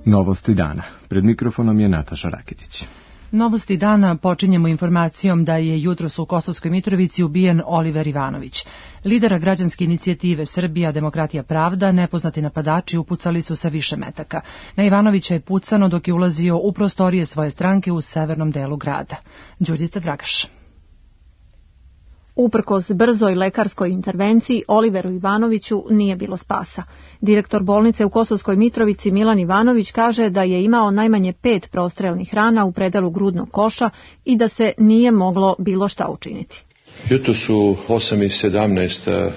Novosti dana. Pred mikrofonom je Nataša Rakitić. Novosti dana počinjemo informacijom da je jutros u Kosovskoj Mitrovici ubijen Oliver Ivanović. Lidera građanske inicijative Srbija, demokratija, pravda, nepoznati napadači upucali su sa više metaka. Na Ivanovića je pucano dok je ulazio u prostorije svoje stranke u severnom delu grada. Đurđica Dragaš. Uprkos brzoj lekarskoj intervenciji, Oliveru Ivanoviću nije bilo spasa. Direktor bolnice u Kosovskoj Mitrovici Milan Ivanović kaže da je imao najmanje 5 prostrelnih rana u predelu grudnog koša i da se nije moglo bilo šta učiniti. Jutros u 8:17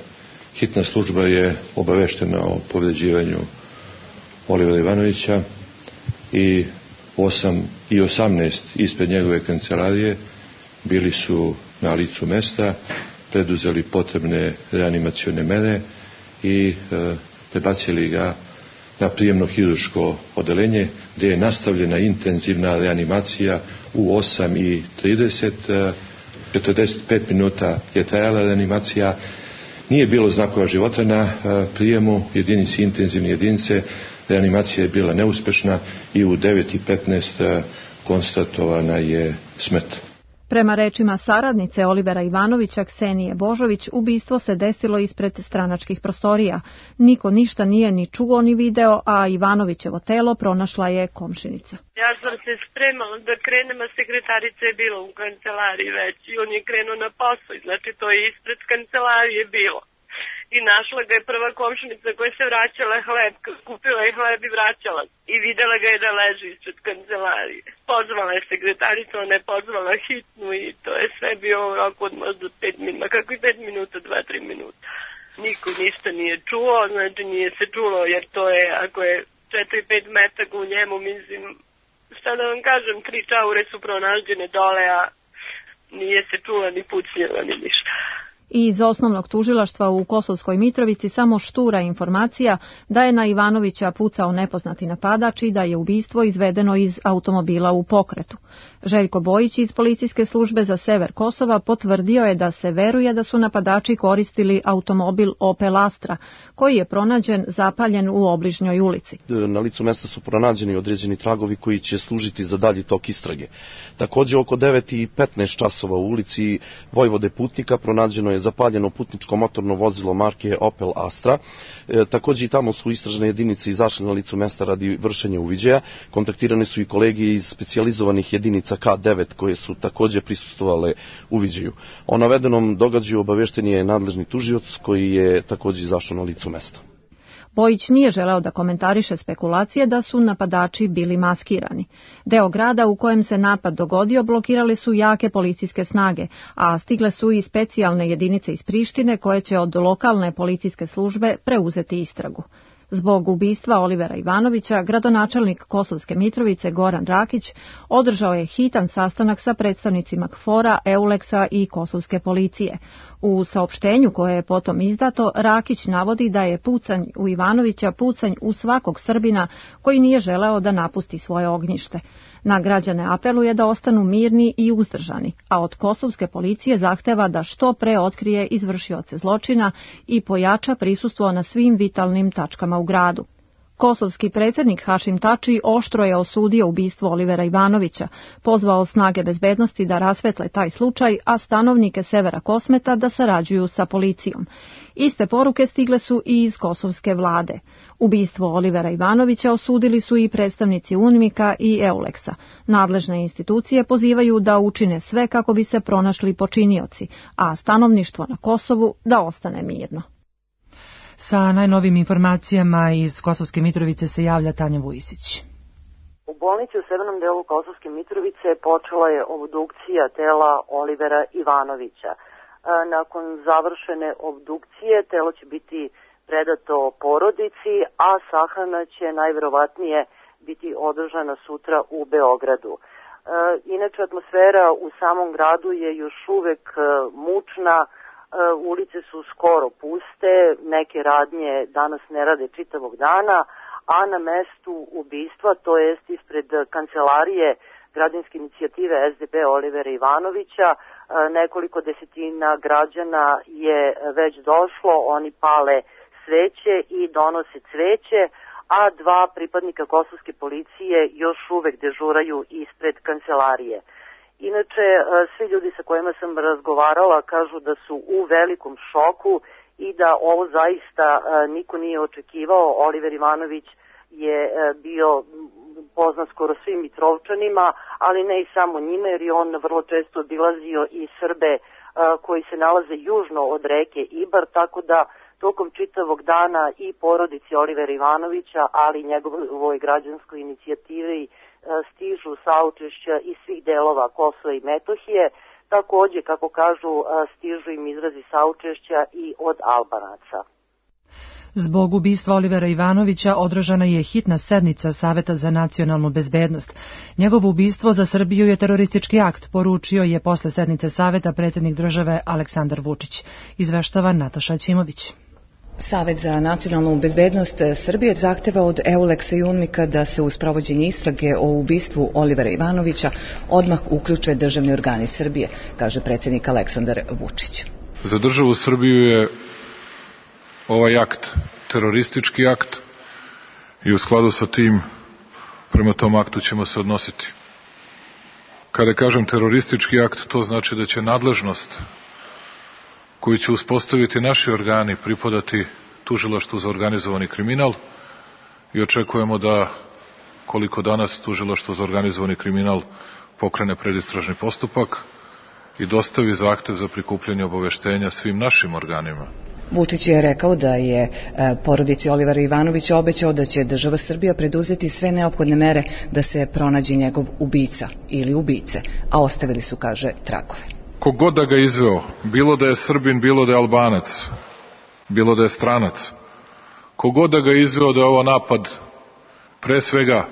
hitna služba je obaveštena o povređivanju Olivera Ivanovića i u 8:18 ispred njegove kancelarije bili su na licu mesta, preduzeli potrebne reanimacione mere i prebacili ga na prijemno hirurško odeljenje, gdje je nastavljena intenzivna reanimacija u 8:30. 45 minuta je trajala reanimacija. Nije bilo znakova života na prijemu jedinici, intenzivne jedinice. Reanimacija je bila neuspešna i u 9:15 konstatovana je smrt. Prema rečima saradnice Olivera Ivanovića, Ksenije Božović, ubistvo se desilo ispred stranačkih prostorija. Niko ništa nije ni čuo ni video, a Ivanovićevo telo pronašla je komšinica. Ja sam se spremala da krenem, a sekretarica je bila u kancelariji već i on je krenuo na posao, znači to je ispred kancelarije bilo. I našla ga je prva komšinica koja se vraćala hleb, kupila je hleb i vraćala. I videla ga je da leži ispred kancelarije. Pozvala je sekretaricu, ona je pozvala hitnu i to je sve bio u roku od možda 5 minuta, kako i 5 minuta, 2-3 minuta. Niko ništa nije čuo, znači nije se čulo jer to je, ako je 4-5 metaka u njemu, mislim, šta da vam kažem, 3 čaure su pronađene dole, a nije se čula ni pucnjeva ni ništa. Iz osnovnog tužilaštva u Kosovskoj Mitrovici samo štura informacija da je na Ivanovića pucao nepoznati napadač i da je ubistvo izvedeno iz automobila u pokretu. Željko Bojić iz policijske službe za sever Kosova potvrdio je da se veruje da su napadači koristili automobil Opel Astra, koji je pronađen zapaljen u obližnjoj ulici. Na licu mesta su pronađeni određeni tragovi koji će služiti za dalji tok istrage. Također oko 9:15 časova u ulici Vojvode Putnika pronađeno je zapaljeno putničko motorno vozilo marke Opel Astra. Također i tamo su istražne jedinice izašle na licu mesta radi vršenja uviđaja. Kontaktirane su i kolege iz specijalizovanih jedinica K9 koje su također prisustvovale uviđaju. O navedenom događaju obavešten je nadležni tužioc koji je također izašao na licu mesta. Bojić nije želeo da komentariše spekulacije da su napadači bili maskirani. Deo grada u kojem se napad dogodio blokirale su jake policijske snage, a stigle su i specijalne jedinice iz Prištine koje će od lokalne policijske službe preuzeti istragu. Zbog ubistva Olivera Ivanovića, gradonačelnik Kosovske Mitrovice Goran Rakić održao je hitan sastanak sa predstavnicima KFOR-a, EULEX-a i Kosovske policije. U saopštenju koje je potom izdato, Rakić navodi da je pucanj u Ivanovića pucanj u svakog Srbina koji nije želeo da napusti svoje ognjište. Na građane apeluje da ostanu mirni i uzdržani, a od Kosovske policije zahteva da što pre otkrije izvršioce zločina i pojača prisustvo na svim vitalnim tačkama u gradu. Kosovski predsjednik Hašim Tači oštro je osudio ubistvo Olivera Ivanovića, pozvao snage bezbednosti da rasvetle taj slučaj, a stanovnike severa Kosmeta da sarađuju sa policijom. Iste poruke stigle su i iz kosovske vlade. Ubistvo Olivera Ivanovića osudili su i predstavnici UNMIK-a i EULEX-a. Nadležne institucije pozivaju da učine sve kako bi se pronašli počinioci, a stanovništvo na Kosovu da ostane mirno. Sa najnovim informacijama iz Kosovske Mitrovice se javlja Tanja Vujisić. U bolnici u severnom delu Kosovske Mitrovice počela je obdukcija tela Olivera Ivanovića. Nakon završene obdukcije telo će biti predato porodici, a sahrana će najverovatnije biti održana sutra u Beogradu. Inače, atmosfera u samom gradu je još uvek mučna. Ulice su skoro puste, neke radnje danas ne rade čitavog dana, a na mestu ubistva, to jest ispred kancelarije građanske inicijative SDP Olivera Ivanovića, nekoliko desetina građana je već došlo, oni pale sveće i donose cveće, a 2 pripadnika kosovske policije još uvek dežuraju ispred kancelarije. Inače, svi ljudi sa kojima sam razgovarala kažu da su u velikom šoku i da ovo zaista niko nije očekivao. Oliver Ivanović je bio poznat skoro svim Mitrovčanima, ali ne i samo njima, jer je on vrlo često obilazio i Srbe koji se nalaze južno od reke Ibar, tako da tokom čitavog dana i porodici Olivera Ivanovića, ali i njegovoj građanskoj inicijativi stižu saučešća iz svih delova Kosova i Metohije. Takođe, kako kažu, stižu im izrazi saučešća i od Albanaca. Zbog ubistva Olivera Ivanovića održana je hitna sednica Saveta za nacionalnu bezbednost. Njegovo ubistvo za Srbiju je teroristički akt, poručio je posle sednice Saveta predsjednik države Aleksandar Vučić. Izveštava Nataša Ćimović. Savet za nacionalnu bezbednost Srbije zahteva od Euleksa i UNMIK-a da se u sprovođenje istrage o ubistvu Olivera Ivanovića odmah uključe državni organi Srbije, kaže predsjednik Aleksandar Vučić. Za državu Srbiju je ovaj akt teroristički akt i u skladu sa tim prema tom aktu ćemo se odnositi. Kada kažem teroristički akt, to znači da će nadležnost koju će uspostaviti naši organi pripadati tužilaštvu za organizovani kriminal i očekujemo da, koliko danas tužilaštvo za organizovani kriminal pokrene predistražni postupak i dostavi zahtev za prikupljanje obaveštenja svim našim organima. Vučić je rekao da je porodici Olivera Ivanovića obećao da će država Srbija preduzeti sve neophodne mere da se pronađe njegov ubica ili ubice, a ostavili su, kaže, tragove. Kogod da ga izveo, bilo da je Srbin, bilo da je Albanac, bilo da je stranac, kogod da ga izveo, da je ovo napad pre svega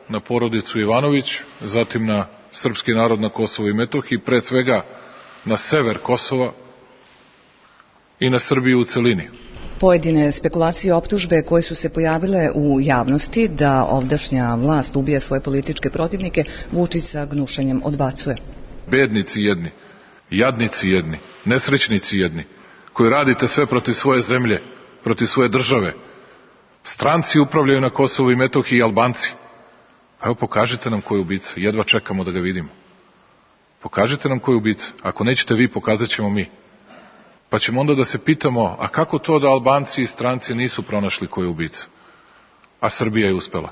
na porodicu Ivanović, zatim na srpski narod na Kosovu i Metohiji, pre svega na sever Kosova i na Srbiju u celini. Pojedine spekulacije i optužbe koje su se pojavile u javnosti da ovdašnja vlast ubija svoje političke protivnike, Vučić sa gnušanjem odbacuje. Bednici jedni, jadnici jedni, nesrećnici jedni, koji radite sve protiv svoje zemlje, protiv svoje države. Stranci upravljaju na Kosovu i Metohiji i Albanci. Evo, pokažite nam ko je ubica, jedva čekamo da ga vidimo. Pokažite nam ko je ubica, ako nećete vi, pokazat ćemo mi. Pa ćemo onda da se pitamo, a kako to da Albanci i stranci nisu pronašli ko je ubica, a Srbija je uspela?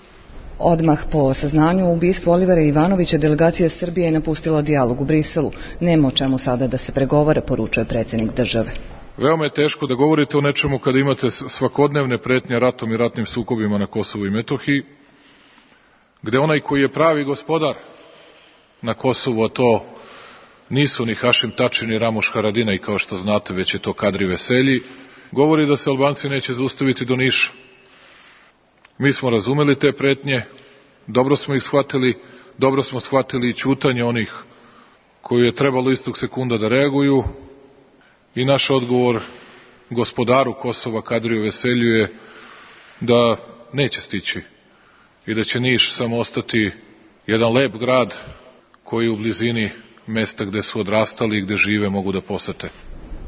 Odmah po saznanju o ubistvu Olivera Ivanovića, delegacija Srbije je napustila dijalog u Briselu. Nema o čemu sada da se pregovara, poručuje predsjednik države. Veoma je teško da govorite o nečemu kada imate svakodnevne pretnje ratom i ratnim sukobima na Kosovu i Metohiji, gde onaj koji je pravi gospodar na Kosovu, a to nisu ni Hašim Tači ni Ramuš Haradinaj, kao što znate, već je to Kadri Veselji, govori da se Albanci neće zaustaviti do Niša. Mi smo razumeli te pretnje, dobro smo ih shvatili, dobro smo shvatili i ćutanje onih koji je trebalo istog sekunda da reaguju i naš odgovor gospodaru Kosova Kadriju Veselju je da neće stići i da će Niš samo ostati jedan lep grad koji u blizini mesta gde su odrastali i gde žive mogu da posete.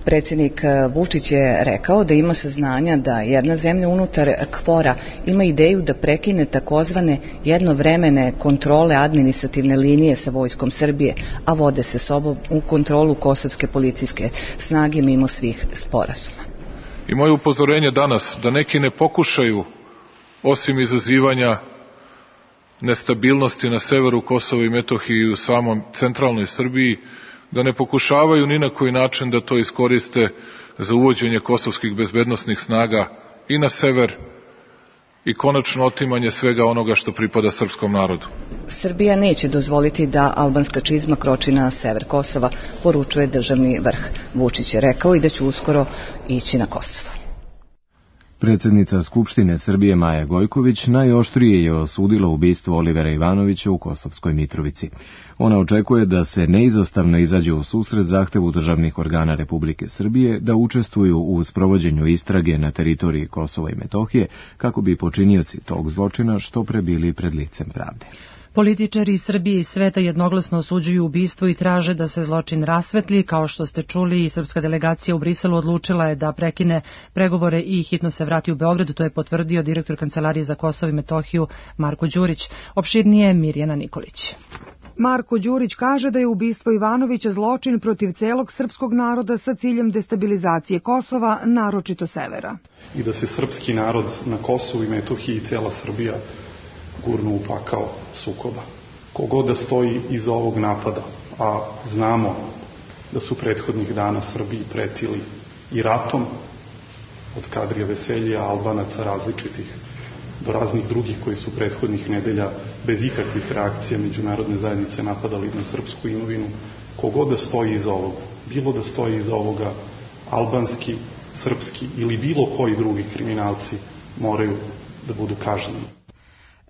Predsjednik Vučić je rekao da ima saznanja da jedna zemlja unutar KFOR-a ima ideju da prekine takozvane jednovremene kontrole administrativne linije sa vojskom Srbije, a vode se sobom u kontrolu kosovske policijske snage mimo svih sporazuma. I moje upozorenje danas da neki ne pokušaju, osim izazivanja nestabilnosti na severu Kosova i Metohiji i u samom centralnoj Srbiji, da ne pokušavaju ni na koji način da to iskoriste za uvođenje kosovskih bezbednosnih snaga i na sever i konačno otimanje svega onoga što pripada srpskom narodu. Srbija neće dozvoliti da albanska čizma kroči na sever Kosova, poručuje državni vrh. Vučić je rekao i da će uskoro ići na Kosovo. Predsjednica Skupštine Srbije Maja Gojković najoštrije je osudila ubistvo Olivera Ivanovića u Kosovskoj Mitrovici. Ona očekuje da se neizostavno izađe u susret zahtevu državnih organa Republike Srbije da učestvuju u sprovođenju istrage na teritoriji Kosova i Metohije kako bi počinioci tog zločina što pre bili pred licem pravde. Političari Srbije i sveta jednoglasno osuđuju ubistvo i traže da se zločin rasvetli. Kao što ste čuli, srpska delegacija u Briselu odlučila je da prekine pregovore i hitno se vrati u Beograd. To je potvrdio direktor Kancelarije za Kosovo i Metohiju Marko Đurić. Opširnije Mirjana Nikolić. Marko Đurić kaže da je ubistvo Ivanovića zločin protiv celog srpskog naroda sa ciljem destabilizacije Kosova, naročito severa. I da se srpski narod na Kosovu i Metohiji i cijela Srbija gurnu u pakao sukoba. Kogod da stoji iza ovog napada, a znamo da su prethodnih dana Srbiji pretili i ratom, od Kadrija Veselja, Albanaca različitih, do raznih drugih koji su prethodnih nedelja bez ikakvih reakcija međunarodne zajednice napadali na srpsku imovinu, kogod da stoji iza ovoga, bilo da stoji iza ovoga albanski, srpski ili bilo koji drugi kriminalci moraju da budu kažnjeni.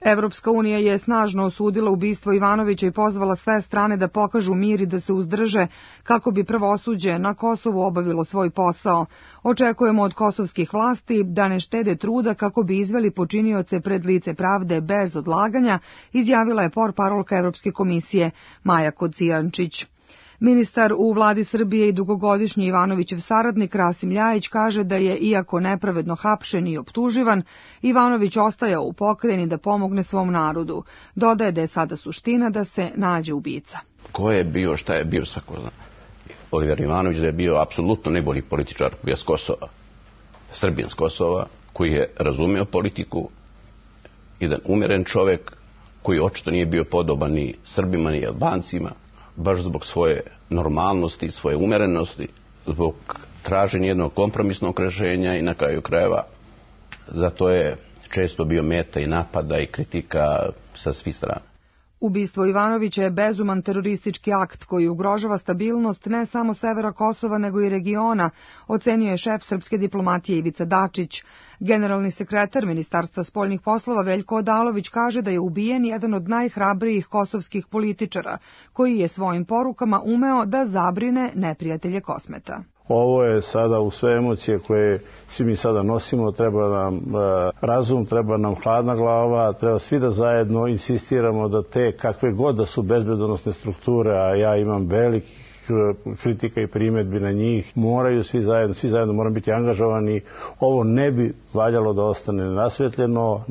Evropska unija je snažno osudila ubistvo Ivanovića i pozvala sve strane da pokažu mir i da se uzdrže kako bi pravosuđe na Kosovu obavilo svoj posao. Očekujemo od kosovskih vlasti da ne štede truda kako bi izveli počinioce pred lice pravde bez odlaganja, izjavila je portparolka Evropske komisije Maja Kocijančić. Ministar u vladi Srbije i dugogodišnji Ivanovićev saradnik Rasim Ljajić kaže da je, iako nepravedno hapšen i optuživan, Ivanović ostajao u pokrajini da pomogne svom narodu. Dodaje da je sada suština da se nađe ubica. Ko je bio, šta je bio, svako zna. Oliver Ivanović da je bio apsolutno najbolji političar koji je s Kosova, Srbijan s Kosova, koji je razumeo politiku, jedan umeren čovek koji očito nije bio podoban ni Srbima ni Albancima, baš zbog svoje normalnosti, svoje umerenosti, zbog traženja jednog kompromisnog rešenja i na kraju krajeva zato je često bio meta i napada i kritika sa svih strana. Ubistvo Ivanovića je bezuman teroristički akt koji ugrožava stabilnost ne samo severa Kosova nego i regiona, ocenio je šef srpske diplomatije Ivica Dačić. Generalni sekretar Ministarstva spoljnih poslova Veljko Odalović kaže da je ubijen jedan od najhrabrijih kosovskih političara, koji je svojim porukama umeo da zabrine neprijatelje Kosmeta. Ovo je sada u sve emocije koje svi mi sada nosimo, treba nam razum, treba nam hladna glava, treba svi da zajedno insistiramo da te kakve god da su bezbedonosne strukture, a ja imam velikih kritika i primjedbi na njih, moraju svi zajedno moramo biti angažovani. Ovo ne bi valjalo da ostane rasvetljeno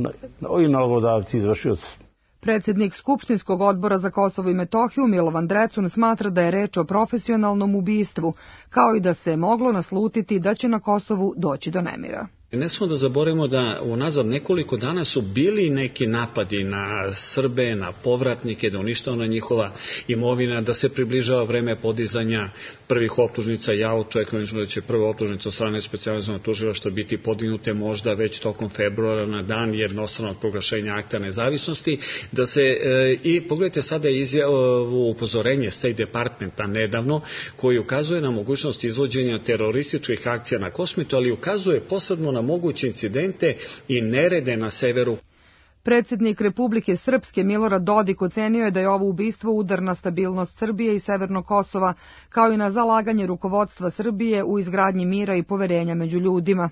i nalogodavci izvršioci. Predsjednik Skupštinskog odbora za Kosovo i Metohiju Milovan Drecun smatra da je reč o profesionalnom ubistvu, kao i da se moglo naslutiti da će na Kosovu doći do nemira. Ne smo da zaboravimo da unazad nekoliko dana su bili neki napadi na Srbe, na povratnike, da uništavana njihova imovina, da se približava vreme podizanja prvih optužnica. Ja očekujem da će prva optužnica od strane specijalizovanog tužilaštva biti podignute možda već tokom februara na dan jednostranog proglašenja akta nezavisnosti. Da se i pogledajte sada izjavu upozorenje State Departmenta nedavno koji ukazuje na mogućnost izvođenja terorističkih akcija na Kosmetu, ali ukazuje posebno na moguće incidente i nerede na severu. Predsjednik Republike Srpske Milorad Dodik ocenio je da je ovo ubistvo udar na stabilnost Srbije i Severnog Kosova, kao i na zalaganje rukovodstva Srbije u izgradnji mira i poverenja među ljudima.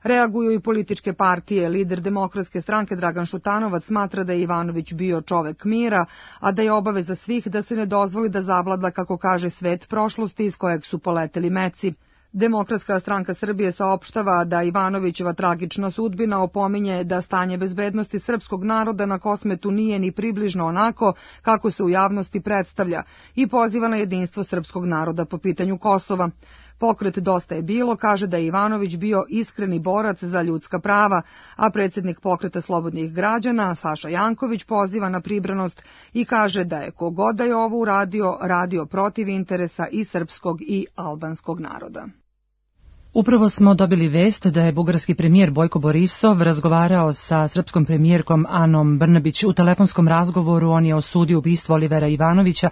Reaguju i političke partije. Lider Demokratske stranke Dragan Šutanovac smatra da je Ivanović bio čovek mira, a da je obaveza svih da se ne dozvoli da zavlada, kako kaže, svet prošlosti iz kojeg su poleteli meci. Demokratska stranka Srbije saopštava da Ivanovićeva tragična sudbina opominje da stanje bezbednosti srpskog naroda na Kosmetu nije ni približno onako kako se u javnosti predstavlja i poziva na jedinstvo srpskog naroda po pitanju Kosova. Pokret Dosta je bilo kaže da je Ivanović bio iskreni borac za ljudska prava, a predsjednik Pokreta slobodnih građana Saša Janković poziva na pribranost i kaže da je kogod da je ovo uradio, radio protiv interesa i srpskog i albanskog naroda. Upravo smo dobili vest da je bugarski premijer Bojko Borisov razgovarao sa srpskom premijerkom Anom Brnabić. U telefonskom razgovoru on je osudio ubistvo Olivera Ivanovića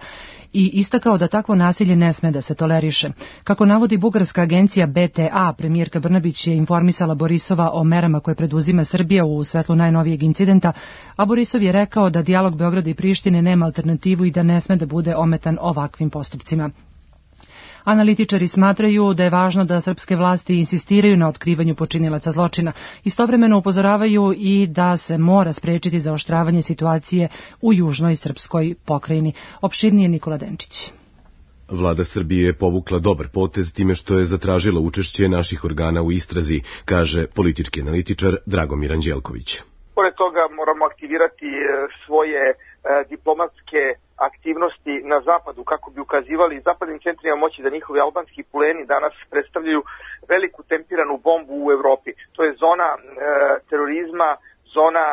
i istakao da takvo nasilje ne sme da se toleriše. Kako navodi bugarska agencija BTA, premijerka Brnabić je informisala Borisova o merama koje preduzima Srbija u svetlu najnovijeg incidenta, a Borisov je rekao da dijalog Beograda i Prištine nema alternativu i da ne sme da bude ometan ovakvim postupcima. Analitičari smatraju da je važno da srpske vlasti insistiraju na otkrivanju počinilaca zločina. Istovremeno upozoravaju i da se mora sprečiti zaoštravanje situacije u južnoj srpskoj pokrajini. Opširnije Nikola Denčić. Vlada Srbije je povukla dobar potez time što je zatražila učešće naših organa u istrazi, kaže politički analitičar Dragomir Anđelković. Pored toga moramo aktivirati svoje diplomatske aktivnosti na zapadu kako bi ukazivali zapadnim centrima moći da njihovi albanski puleni danas predstavljaju veliku tempiranu bombu u Evropi. To je zona terorizma, zona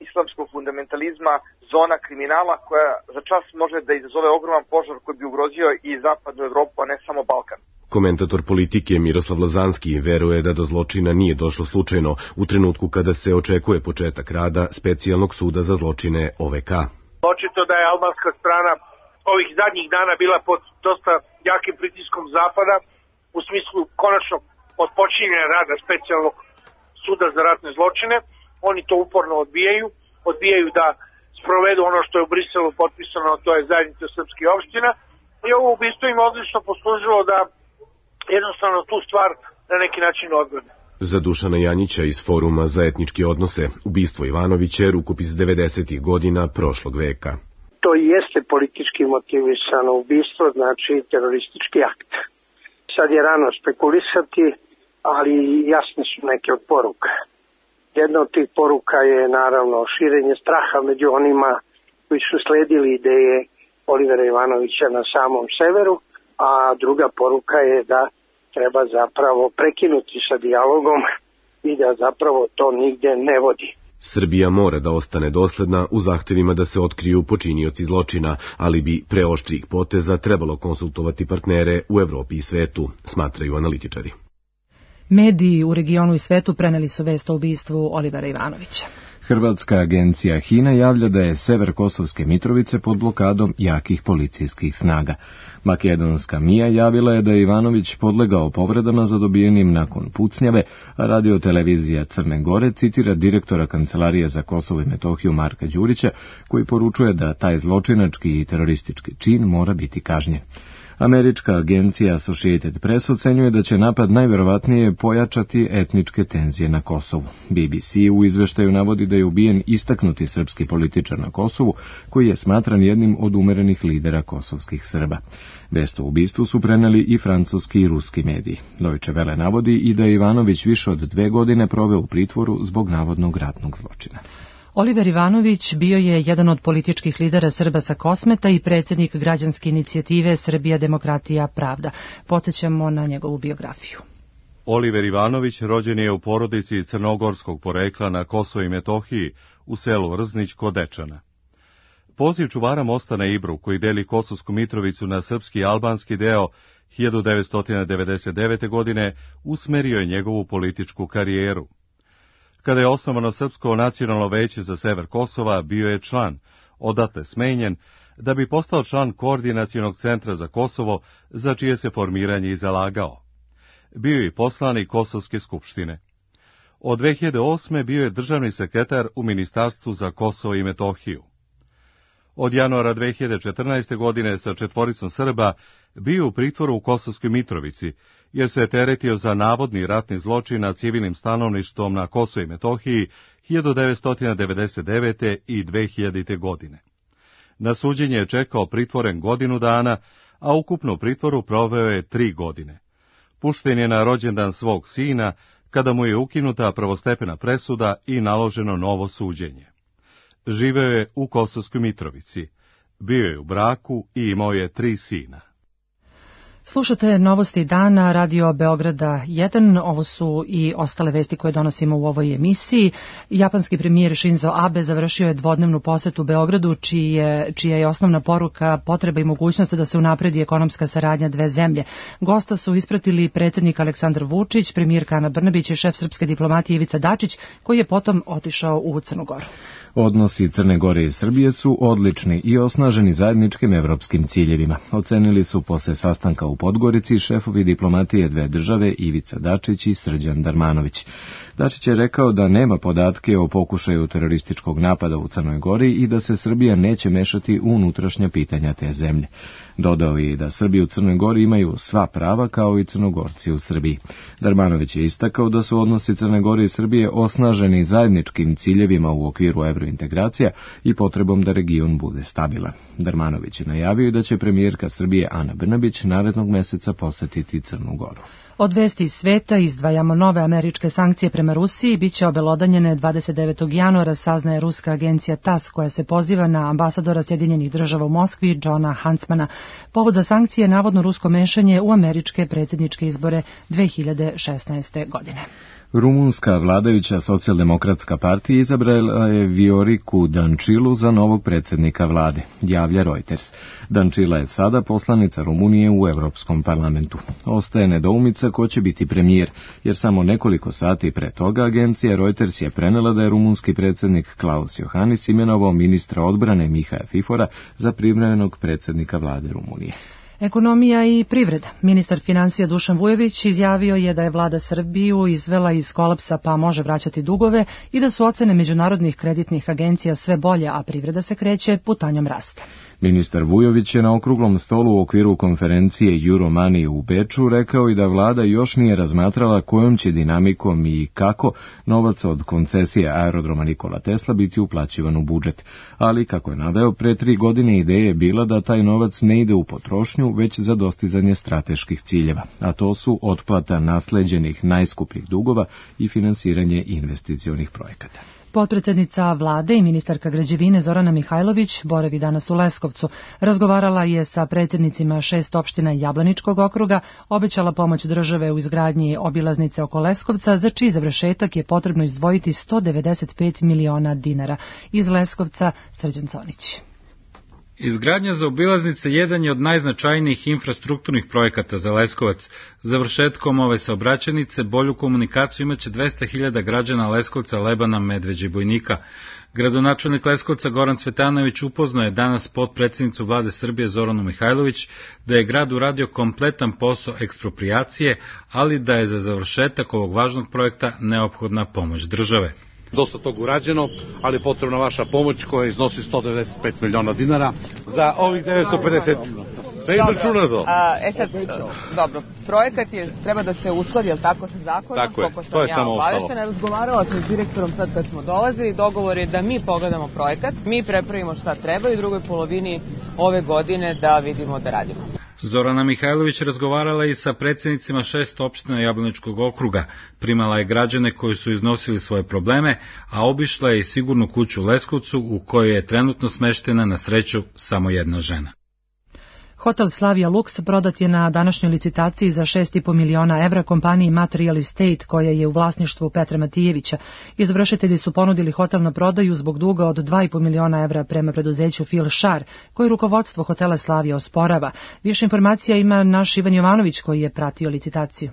islamskog fundamentalizma, zona kriminala koja za čas može da izazove ogroman požar koji bi ugrozio i zapadnu Evropu, a ne samo Balkan. Komentator politike Miroslav Lazanski veruje da do zločina nije došlo slučajno u trenutku kada se očekuje početak rada Specijalnog suda za zločine OVK. Očito da je albanska strana ovih zadnjih dana bila pod dosta jakim pritiskom zapada u smislu konačno odpočinjenja rada Specijalnog suda za ratne zločine. Oni to uporno odbijaju da sprovedu ono što je u Briselu potpisano, to je zajednica srpskih opština. I ovo ubistvo im odlično poslužilo da jednostavno tu stvar na neki način odgode. Za Dušana Janjića iz Foruma za etničke odnose, ubistvo Ivanovića je rukopis 90. godina prošlog veka. To jeste politički motivisano ubistvo, znači teroristički akt. Sad je rano spekulisati, ali jasne su neke od poruka. Jedna od tih poruka je naravno širenje straha među onima koji su sledili ideje Olivera Ivanovića na samom severu, a druga poruka je da treba zapravo prekinuti sa dijalogom i da zapravo to nigde ne vodi. Srbija mora da ostane dosledna u zahtevima da se otkriju počinioci zločina, ali bi pre oštrih poteza trebalo konsultovati partnere u Evropi i svetu, smatraju analitičari. Mediji u regionu i svetu preneli su vest o ubistvu Olivera Ivanovića. Hrvatska agencija HINA javlja da je sever Kosovske Mitrovice pod blokadom jakih policijskih snaga. Makedonska MIA javila je da je Ivanović podlegao povredama zadobijenim nakon pucnjave, a radiotelevizija Crne Gore citira direktora Kancelarije za Kosovo i Metohiju Marka Đurića, koji poručuje da taj zločinački i teroristički čin mora biti kažnjen. Američka agencija Associated Press ocenjuje da će napad najverovatnije pojačati etničke tenzije na Kosovu. BBC u izveštaju navodi da je ubijen istaknuti srpski političar na Kosovu, koji je smatran jednim od umerenih lidera kosovskih Srba. Vest o ubistvu su preneli i francuski i ruski mediji. Deutsche Welle navodi i da je Ivanović više od 2 godine proveo u pritvoru zbog navodnog ratnog zločina. Oliver Ivanović bio je jedan od političkih lidera Srba sa Kosmeta i predsjednik građanske inicijative Srbija, demokratija, pravda. Podsjećamo na njegovu biografiju. Oliver Ivanović rođen je u porodici crnogorskog porekla na Kosovu i Metohiji u selu Rznić kod Dečana. Poziv čuvara mosta na Ibru, koji deli Kosovsku Mitrovicu na srpski i albanski deo 1999. godine, usmerio je njegovu političku karijeru. Kada je osnovano Srpsko nacionalno veće za sever Kosova, bio je član, odatle smenjen, da bi postao član Koordinacionog centra za Kosovo, za čije se formiranje i zalagao. Bio je i poslanik Kosovske skupštine. Od 2008. bio je državni sekretar u Ministarstvu za Kosovo i Metohiju. Od januara 2014. godine sa 4 Srba bio u pritvoru u Kosovskoj Mitrovici, jer se je teretio za navodni ratni zločin nad civilnim stanovništvom na Kosovu i Metohiji 1999. i 2000. godine. Na suđenje je čekao pritvoren 1 godinu dana, a ukupno u pritvoru proveo je 3 godine. Pušten je na rođendan svog sina, kada mu je ukinuta prvostepena presuda i naloženo novo suđenje. Živeo je u Kosovskoj Mitrovici, bio je u braku i imao je 3 sina. Slušate novosti dana Radio Beograda 1, ovo su i ostale vesti koje donosimo u ovoj emisiji. Japanski premijer Shinzo Abe završio je dvodnevnu posetu Beogradu, čija je osnovna poruka potreba i mogućnost da se unapredi ekonomska saradnja dve zemlje. Gosta su ispratili predsjednik Aleksandar Vučić, premijerka Ana Brnabić i šef srpske diplomatije Ivica Dačić, koji je potom otišao u Crnu Goru. Odnosi Crne Gore i Srbije su odlični i osnaženi zajedničkim evropskim ciljevima. Ocenili su posle sastanka u Podgorici šefovi diplomatije dve države Ivica Dačić i Srđan Darmanović. Dačić je rekao da nema podatke o pokušaju terorističkog napada u Crnoj Gori i da se Srbija neće mešati u unutrašnja pitanja te zemlje. Dodao je i da Srbi u Crnoj Gori imaju sva prava kao i Crnogorci u Srbiji. Darmanović je istakao da su odnosi Crne Gore i Srbije osnaženi zajedničkim ciljevima u okviru evrointegracija i potrebom da region bude stabilan. Darmanović je najavio da će premijerka Srbije Ana Brnabić narednog meseca posetiti Crnu Goru. Od vesti iz sveta izdvajamo nove američke sankcije prema Rusiji, bit će obelodanjene 29. januara, saznaje ruska agencija TASS, koja se poziva na ambasadora Sjedinjenih država u Moskvi, Johna Huntsmana. Povod za sankcije je navodno rusko mešanje u američke predsjedničke izbore 2016. godine. Rumunska vladajuća socijaldemokratska partija izabrala je Vioriku Dančilu za novog predsjednika vlade, javlja Reuters. Dančila je sada poslanica Rumunije u Evropskom parlamentu. Ostaje nedoumica ko će biti premijer, jer samo nekoliko sati pre toga agencija Reuters je prenela da je rumunski predsjednik Klaus Iohannis imenovao ministra odbrane Mihaja Fifora za privremenog predsjednika vlade Rumunije. Ekonomija i privreda. Ministar financija Dušan Vujović izjavio je da je vlada Srbiju izvela iz kolapsa pa može vraćati dugove i da su ocene međunarodnih kreditnih agencija sve bolje, a privreda se kreće putanjom rasta. Ministar Vujović je na okruglom stolu u okviru konferencije Euromoney u Beču rekao i da vlada još nije razmatrala kojom će dinamikom i kako novac od koncesije aerodroma Nikola Tesla biti uplaćivan u budžet. Ali, kako je naveo, pre 3 godine ideja je bila da taj novac ne ide u potrošnju, već za dostizanje strateških ciljeva, a to su otplata nasleđenih najskupljih dugova i finansiranje investicionih projekata. Potpredsjednica vlade i ministarka građevine Zorana Mihajlović boravi danas u Leskovcu. Razgovarala je sa predsjednicima 6 opština Jablaničkog okruga, obećala pomoć države u izgradnji obilaznice oko Leskovca, za čiji završetak je potrebno izdvojiti 195 miliona dinara. Iz Leskovca Srđan Conić. Izgradnja zaobilaznice jedan je od najznačajnijih infrastrukturnih projekata za Leskovac. Završetkom ove saobraćajnice bolju komunikaciju imaće 200.000 građana Leskovca, Lebana, Medveđe i Bojnika. Gradonačelnik Leskovca Goran Cvetanović upoznao je danas potpredsjednicu vlade Srbije Zoranu Mihajlović da je grad uradio kompletan posao eksproprijacije, ali da je za završetak ovog važnog projekta neophodna pomoć države. Dosta tog urađeno, ali je potrebna vaša pomoć koja iznosi 195 miliona dinara za ovih 950. Sve izračunato. Dobro, projekat treba da se uskladi, jel tako, sa zakonom? Tako je, to je samo ostalo. Razgovarala sam s direktorom sad kad smo dolazili, dogovor je da mi pogledamo projekat, mi prepravimo šta treba i u drugoj polovini ove godine da vidimo da radimo. Zorana Mihajlović razgovarala i sa predsjednicima 6 opština Jablaničkog okruga. Primala je građane koji su iznosili svoje probleme, a obišla je i sigurnu kuću u Leskovcu u kojoj je trenutno smeštena, na sreću, samo jedna žena. Hotel Slavia Lux prodat je na današnjoj licitaciji za 6,5 miliona evra kompaniji Material Estate, koja je u vlasništvu Petra Matijevića. Izvršitelji su ponudili hotel na prodaju zbog duga od 2,5 miliona evra prema preduzeću Phil Shar, koji rukovodstvo hotela Slavia osporava. Više informacija ima naš Ivan Jovanović, koji je pratio licitaciju.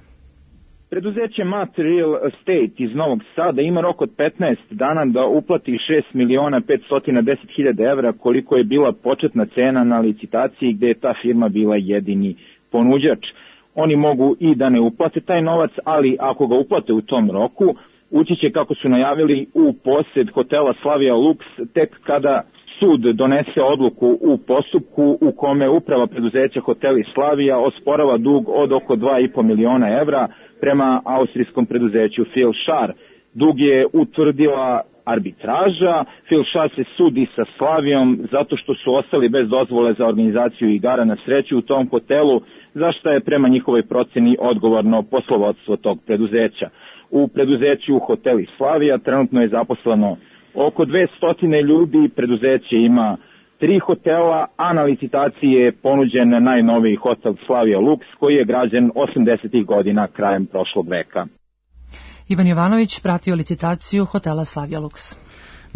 Preduzeće Material Estate iz Novog Sada ima rok od 15 dana da uplati 6.510.000 evra, koliko je bila početna cena na licitaciji gde je ta firma bila jedini ponuđač. Oni mogu i da ne uplate taj novac, ali ako ga uplate u tom roku, ući će, kako su najavili, u posjed hotela Slavia Lux tek kada sud donese odluku u postupku u kome uprava preduzeća Hoteli Slavia osporava dug od oko 2,5 miliona evra prema austrijskom preduzeću Phil Shar. Dug je utvrdila arbitraža. Phil Shar se sudi sa Slavijom zato što su ostali bez dozvole za organizaciju igara na sreću u tom hotelu, za što je prema njihovoj proceni odgovorno poslovodstvo tog preduzeća. U preduzeću Hoteli Slavia trenutno je zaposleno oko 200 ljudi, preduzeće ima 3 hotela, a na licitaciji je ponuđen najnoviji hotel Slavia Lux, koji je građen 80. godina krajem prošlog veka. Ivan Jovanović pratio licitaciju hotela Slavia Lux.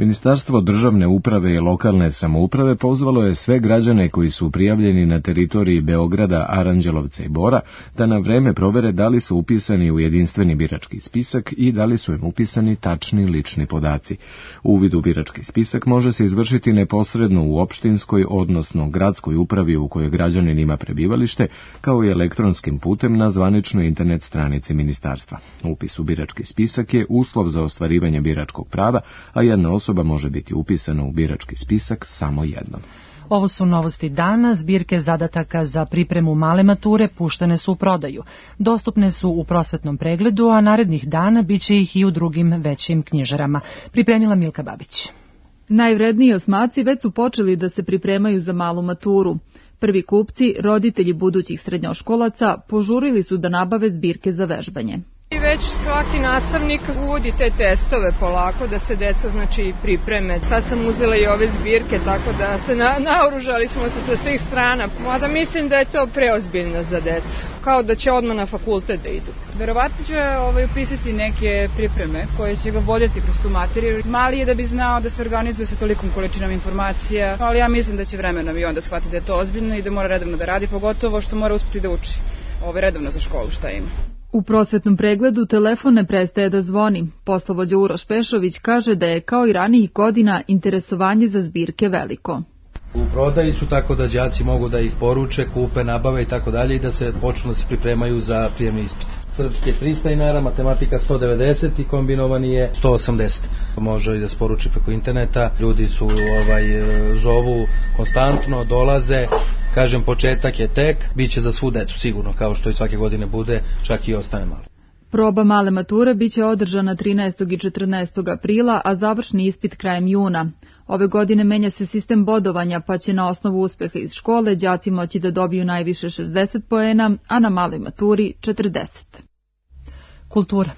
Ministarstvo državne uprave i lokalne samouprave pozvalo je sve građane koji su prijavljeni na teritoriji Beograda, Aranđelovca i Bora da na vreme provere da li su upisani u jedinstveni birački spisak i da li su im upisani tačni lični podaci. Uvid u birački spisak može se izvršiti neposredno u opštinskoj, odnosno gradskoj upravi u kojoj građanin ima prebivalište, kao i elektronskim putem na zvaničnoj internet stranici ministarstva. Upis u birački spisak je uslov za ostvarivanje biračkog prava, a jedna osoba može biti upisana u birački spisak samo jednom. Ovo su novosti dana. Zbirke zadataka za pripremu male mature puštene su u prodaju. Dostupne su u prosvetnom pregledu, a narednih dana biće ih i u drugim većim knjižarama. Pripremila Milka Babić. Najvredniji osmaci već su počeli da se pripremaju za malu maturu. Prvi kupci, roditelji budućih srednjoškolaca, požurili su da nabave zbirke za vežbanje. Već svaki nastavnik uvodi te testove polako da se deca pripreme. Sad sam uzela i ove zbirke, tako da se naoružali smo se sa svih strana. Mada mislim da je to preozbiljno za decu, kao da će odmah na fakultet da idu. Verovatno će upisati neke pripreme koje će ga voditi kroz tu materiju. Mali je da bi znao da se organizuje sa tolikom količinom informacija, ali ja mislim da će vremenom i onda shvati da je to ozbiljno i da mora redovno da radi, pogotovo što mora uspeti da uči. Redovno za školu šta ima. U prosvetnom pregledu telefon ne prestaje da zvoni. Poslovođa Uroš Pešović kaže da je kao i ranijih godina interesovanje za zbirke veliko. U prodaji su tako da đaci mogu da ih poruče, kupe, nabave i tako dalje i da se počnu da se pripremaju za prijemni ispit. Srpski 300 dinara, matematika 190 i kombinovani je 180. Može i da se poruči preko interneta. Ljudi su zovu konstantno, dolaze. Kažem, početak je tek, bit će za svu decu sigurno, kao što i svake godine bude, čak i ostane malo. Proba male mature biće održana 13. i 14. aprila, a završni ispit krajem juna. Ove godine menja se sistem bodovanja, pa će na osnovu uspeha iz škole đaci moći da dobiju najviše 60 poena, a na maloj maturi 40. Kultura.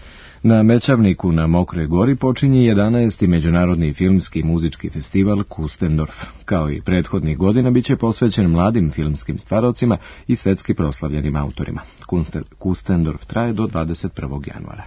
Na Mećavniku na Mokroj Gori počinje 11. Međunarodni filmski i muzički festival Kustendorf. Kao i prethodnih godina biće posvećen mladim filmskim stvarocima i svetski proslavljenim autorima. Kustendorf traje do 21. januara.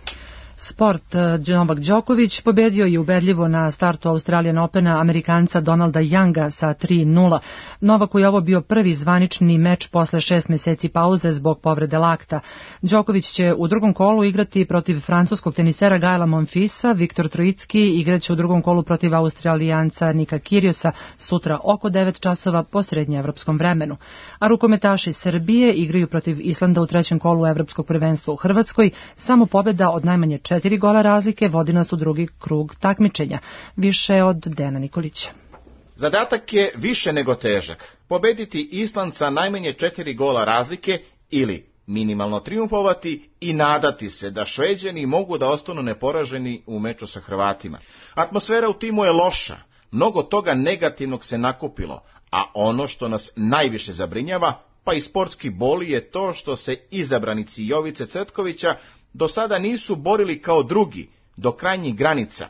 Sport. Novak Đoković pobedio je ubedljivo na startu Australian Opena Amerikanca Donalda Younga sa 3:0. Novaku je ovo bio prvi zvanični meč posle 6 meseci pauze zbog povrede lakta. Đoković će u drugom kolu igrati protiv francuskog tenisera Gaela Monfilsa. Viktor Trojicki igraće u drugom kolu protiv Australijanca Nika Kyrgiosa sutra oko 9 časova po srednjeevropskom vremenu. A rukometaši Srbije igraju protiv Islanda u trećem kolu evropskog prvenstva u Hrvatskoj. Samo pobeda od najmanje 4 gola razlike vodi nas u drugi krug takmičenja. Više od Dejana Nikolića. Zadatak je više nego težak. Pobediti Island sa najmanje 4 gola razlike ili minimalno triumfovati i nadati se da Šveđani mogu da ostanu neporaženi u meču sa Hrvatima. Atmosfera u timu je loša, mnogo toga negativnog se nakupilo, a ono što nas najviše zabrinjava, pa i sportski boli, je to što se izabranici Jovice Cvetkovića do sada nisu borili kao drugi, do krajnjih granica.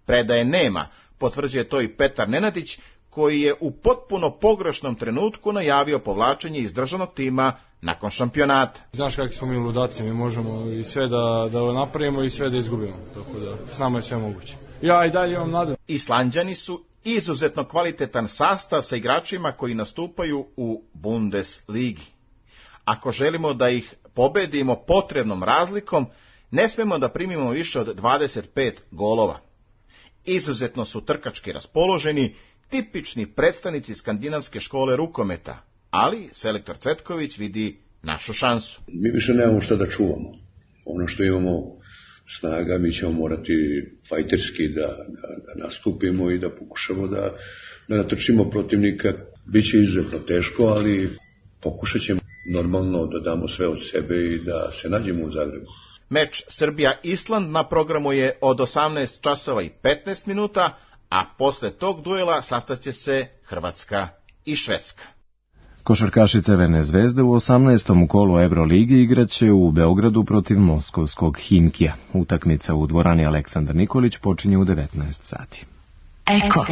Predaje nema, potvrđuje to i Petar Nenadić, koji je u potpuno pogrešnom trenutku najavio povlačenje iz državnog tima nakon šampionata. Znaš kakvi smo mi ludaci, mi možemo i sve da napravimo i sve da izgubimo, tako da s nama je sve moguće. Ja i dalje imam nadu. Islanđani su izuzetno kvalitetan sastav sa igračima koji nastupaju u Bundesligi. Ako želimo da ih pobedimo potrebnom razlikom, ne smemo da primimo više od 25 golova. Izuzetno su trkački raspoloženi, tipični predstavnici skandinavske škole rukometa, ali selektor Cvetković vidi našu šansu. Mi više nemamo šta da čuvamo. Ono što imamo snaga, mi ćemo morati fajterski da nastupimo i da pokušamo da natrčimo protivnika. Biće izuzetno teško, ali pokušat ćemo normalno da damo sve od sebe i da se nađemo u Zagrebu. Meč Srbija-Island na programu je od 18 časova i 15 minuta, a posle tog duela sastaće se Hrvatska i Švedska. Košarkaši Crvene zvezde u 18. kolu Euroligi igraće u Beogradu protiv moskovskog Himkija. Utakmica u dvorani Aleksandar Nikolić počinje u 19 sati. Eko.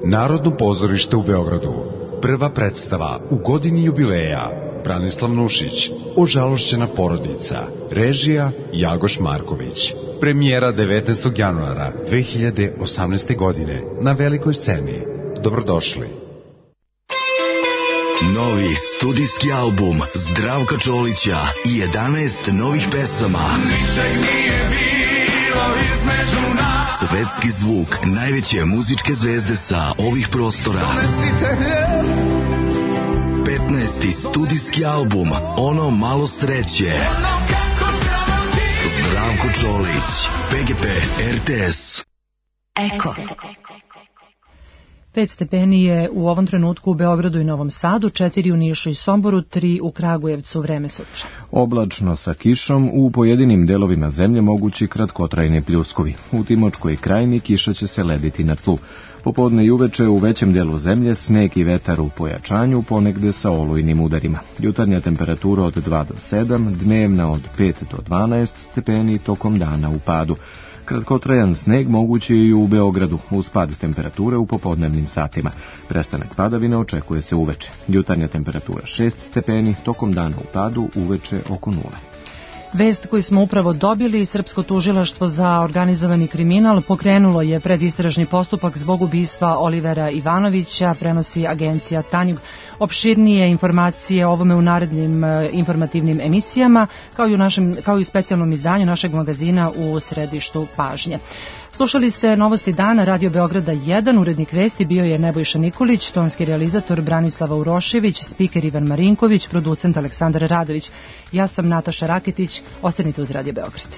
Narodno pozorište u Beogradu. Prva predstava u godini jubileja. Branislav Nušić. Ožalošćena porodica. Režija Jagoš Marković. Premijera 19. januara 2018. godine na velikoj sceni. Dobrodošli. Novi studijski album Zdravka Čolića i 11 novih pesama. Ničeg nije bilo između nas. Svetski zvuk najveće muzičke zvezde sa ovih prostora. 15. studijski album Ono malo sreće. Zdravko Čolić, PGP RTS. Eko. 5 stepeni je u ovom trenutku u Beogradu i Novom Sadu, 4 u Nišu i Somboru, 3 u Kragujevcu, vreme sutra. Oblačno sa kišom, u pojedinim delovima zemlje mogući kratkotrajni pljuskovi. U Timočkoj krajini kiša će se lediti na tlu. Popodne i uveče u većem delu zemlje sneg i vetar u pojačanju, ponegde sa olujnim udarima. Jutarnja temperatura od 2 do 7, dnevna od 5 do 12 stepeni, tokom dana u padu. Kratkotrajan sneg mogući je i u Beogradu, uz pad temperature u popodnevnim satima. Prestanak padavina očekuje se uveče. Jutarnja temperatura 6 stepeni, tokom dana u padu, uveče oko 0. Vest koju smo upravo dobili, Srpsko tužilaštvo za organizovani kriminal pokrenulo je predistražni postupak zbog ubistva Olivera Ivanovića, prenosi agencija Tanjug. Opširnije informacije o ovome u narednim informativnim emisijama, kao i u specijalnom izdanju našeg magazina u središtu pažnje. Slušali ste Novosti dana Radio Beograda 1, urednik vesti bio je Nebojša Nikolić, tonski realizator Branislava Urošević, spiker Ivan Marinković, producent Aleksandar Radović. Ja sam Nataša Raketić, ostanite uz Radio Beograd.